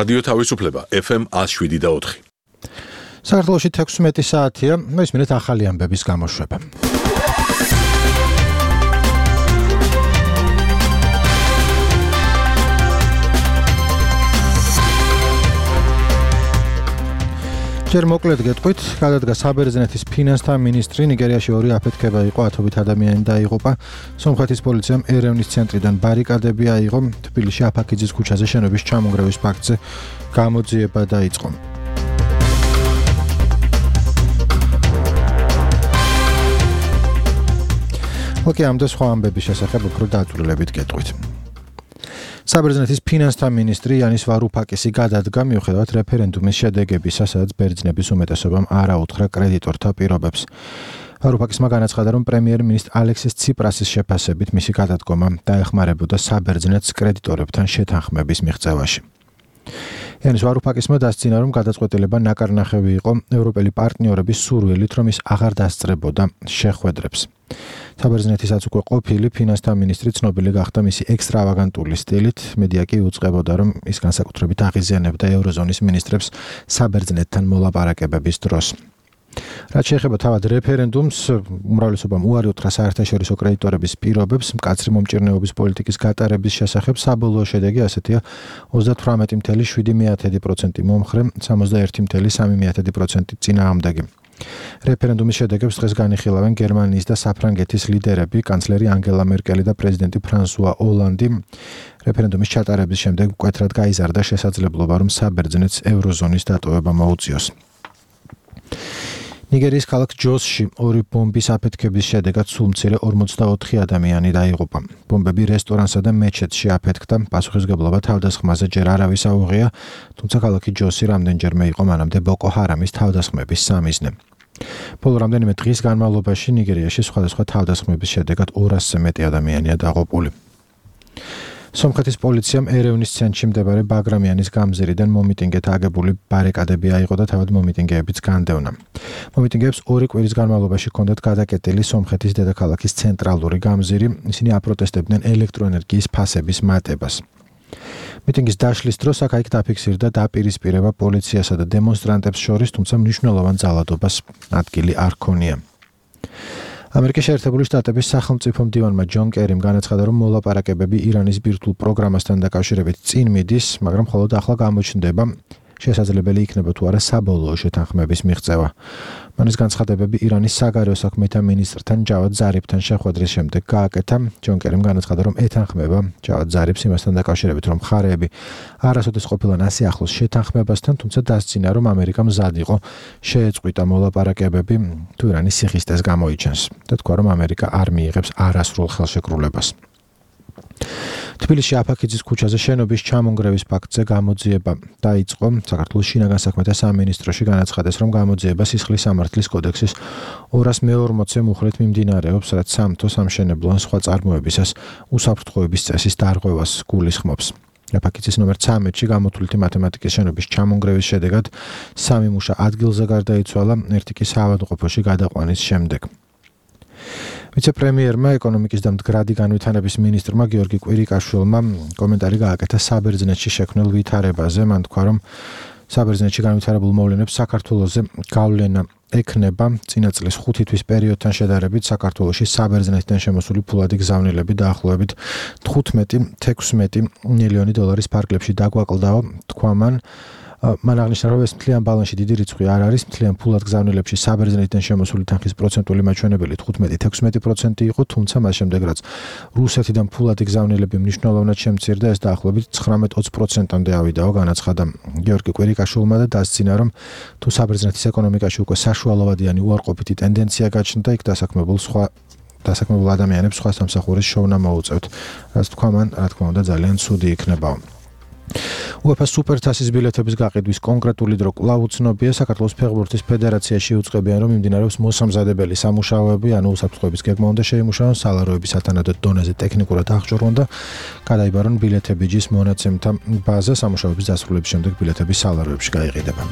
რადიო თავისუფლება FM 107.4. საქართველოში 16 საათია, მისმინეთ ახალი ამბების გამოშვება. ჯერ მოკლედ გეტყვით, გადადგა საბერძნეთის ფინანსთა მინისტრი, ნიგერიაში 2 აფეთქება იყო, 10 ადამიანი დაიღუპა. სომხეთის პოლიციამ ერევნის ცენტრიდან ბარიკადები აიღო, თბილისში აფაქიძის ქუჩაზე შენობის ჩამონგრევის ფაქტზე გამოძიება დაიწყო. ოკეი, ამ და სხვა ამბების შესახებ უფრო დაწვრილებით გეტყვით. საბერძნეთის ფინანსთა მინისტრი იანის ვარუფაკისი გადადგა მიუხედავად რეფერენდუმის შედეგებისა, სადაც ბერძნების უმეტესობამ არ აუთხრა კრედიტორთა პირობებს. ვარუფაკისმა განაცხადა, რომ პრემიერ-მინისტრ ალექსის ციპრასის შეფასებით მისი გადადგომა დაეხმარებოდა საბერძნეთს კრედიტორებთან შეთანხმების მიღწევაში. იანის ვარუფაკისმა დასძინა, რომ გადაწყვეტილება ნაკარნახევი იყო ევროპელი პარტნიორების სურვილით, რომ ის აღარ დასწრებოდა შეხვედრებს. საბერძნეთისაც უკვე ყოფილი ფინანსთა მინისტრი ცნობილი გახდა მისი ექსტრავაგანტული სტილით, მედია კი უწყებოდა, რომ ის განსაკუთრებით აღიზიანებდა ევროზონის მინისტრებს საბერძნეთთან მოლაპარაკებების დროს. რაც შეეხება თავად რეფერენდუმს, უმრავლესობამ უარი უთხრა საერთაშორისო კრედიტორების პირობებს მკაცრი მომჭირნეობის პოლიტიკის გატარების შესახებ. საბოლოო შედეგი ასეთია: 38.7% მომხრე, 61.3% წინააღმდეგი. რეფერენდუმის შედეგებს დღეს განიხილავენ გერმანიის და საფრანგეთის ლიდერები, კანცლერი ანგელა მერკელი და პრეზიდენტი ფრანსუა ოლანდი. რეფერენდუმის ჩატარების შემდეგ მკვეთრად გაიზარდა შესაძლებლობა, რომ საბერძნეთს ევროზონის დატოვება მოუწიოს. ნიგერიის ქალაქ ჯოსში 2 ბომბის აფეთქების შედეგად სულ მცირე 44 ადამიანი დაიღუპა. ბომბები რესტორანსა და მეჩეთში აფეთქდა, პასუხისმგებლობა თავდასხმაზე ჯერ არავის აუღია, თუმცა ქალაქი ჯოსი რამდენჯერმე იყო მანამდე ბოკო ჰარამის თავდასხმების სამიზნე. ბოლო რამდენიმე დღის განმავლობაში ნიგერიაში სხვადასხვა თავდასხმების შედეგად 200-ზე მეტი ადამიანია დაღუპული. სომხეთის პოლიციამ ერევნის ცენტრში მდებარე ბაგრამიანის გამზირიდან მომიტინგეთ აგებული ბარიკადები აიღო და თავად მომიტინგეებიც განდევნა. მომიტინგეებს 2 კვირის განმავლობაში ჰქონდათ გადაკეტილი სომხეთის დედაქალაქის ცენტრალური გამზირი, ისინი აპროტესტებდნენ ელექტროენერგიის ფასების მატებას. მიტინგის დაშლის დროს აქ-იქ დაფიქსირდა დაპირისპირება პოლიციასა და დემონსტრანტებს შორის, თუმცა მნიშვნელოვან ძალადობას ადგილი არ ჰქონია. ამერიკის შეერთებული შტატების სახელმწიფო მდივანმა ჯონ კერიმ განაცხადა, რომ მოლაპარაკებები ირანის ბირთვულ პროგრამასთან დაკავშირებით წინ მიდის, მაგრამ მხოლოდ ახლა გამოჩნდება, შესაძლებელი იქნება თუ არა საბოლოო შეთანხმების მიღწევა. მან ეს განცხადებები ირანის საგარეო საქმეთა მინისტრთან ჯავად ზარიფთან შეხვედრის შემდეგ გააკეთა. ჯონ კერიმ განაცხადა, რომ ეთანხმება ჯავად ზარიფს იმასთან დაკავშირებით, რომ მხარეები არასოდეს ყოფილან ასე ახლოს შეთანხმებასთან, თუმცა დასძინა, რომ ამერიკა მზად იყო შეეწყვიტა მოლაპარაკებები, თუ ირანის სიხისტეს გამოიჩენს და თქვა, რომ ამერიკა არ მიიღებს არასრულ ხელშეკრულებას. თბილისში აფაქიძის ქუჩაზე შენობის ჩამონგრევის ფაქტზე გამოძიება დაიწყო. საქართველოს შინაგან საქმეთა სამინისტროში განაცხადეს, რომ გამოძიება სისხლის სამართლის კოდექსის 240-ე მუხლით მიმდინარეობს, რაც სამთო, სამშენებლო ან სხვა წარმოებისას უსაფრთხოების წესის დარღვევას გულისხმობს. აფაქიძის ნომერ 13-ში გამოთვლითი მათემატიკის შენობის ჩამონგრევის შედეგად 3 მუშა ადგილზე გარდაიცვალა, 1 კი საავადმყოფოში გადაყვანის შემდეგ. ვიცე-პრემიერმა, ეკონომიკის და მდგრადი განვითარების მინისტრმა გიორგი კვირიკაშვილმა კომენტარი გააკეთა საბერძნეთში შექმნილ ვითარებაზე. მან თქვა, რომ საბერძნეთში განვითარებულ მოვლენებს საქართველოზე გავლენა ექნება. წინა წლის 5 თვის პერიოდთან შედარებით საქართველოში საბერძნეთიდან შემოსული ფულადი გზავნილები დაახლოებით 15-16 მილიონი დოლარის ფარგლებში დაგვაკლდაო, თქვა მან. მან აღნიშნა, რომ ეს მთლიან ბალანსში დიდი რიცხვი არ არის. მთლიან ფულად გზავნილებში საბერძნეთიდან შემოსული თანხის პროცენტული მაჩვენებელი 15-16% იყო, თუმცა მას შემდეგ რაც რუსეთიდან ფულადი გზავნილები მნიშვნელოვნად შემცირდა, ეს დაახლოებით 19-20%-მდე ავიდაო, განაცხადა გიორგი კვირიკაშვილმა და დასძინა, რომ თუ საბერძნეთის ეკონომიკაში უკვე საშუალოვადიანი უარყოფითი ტენდენცია გაჩნდა, იქ დასაქმებულ ადამიანებს სხვა სამსახურის შოვნა მოუწევთ. რაც თქვა მან, რა თქმა უნდა, ძალიან ცუდი იქნებაო. UEFA სუპერთასის ბილეთების გაყიდვის კონკრეტული დრო კვლავ უცნობია. საქართველოს ფეხბურთის ფედერაციაში უწყებიან, რომ მიმდინარეობს მოსამზადებელი სამუშაოები, ანუ უსაფრთხოების გეგმა უნდა შეიმუშაონ, სალაროები სათანადო დონეზე ტექნიკურად აღჭურვონ და გადაიბარონ ბილეთები ჯის მონაცემთა ბაზა. სამუშაოების დასრულების შემდეგ ბილეთები სალაროებში გაიყიდება.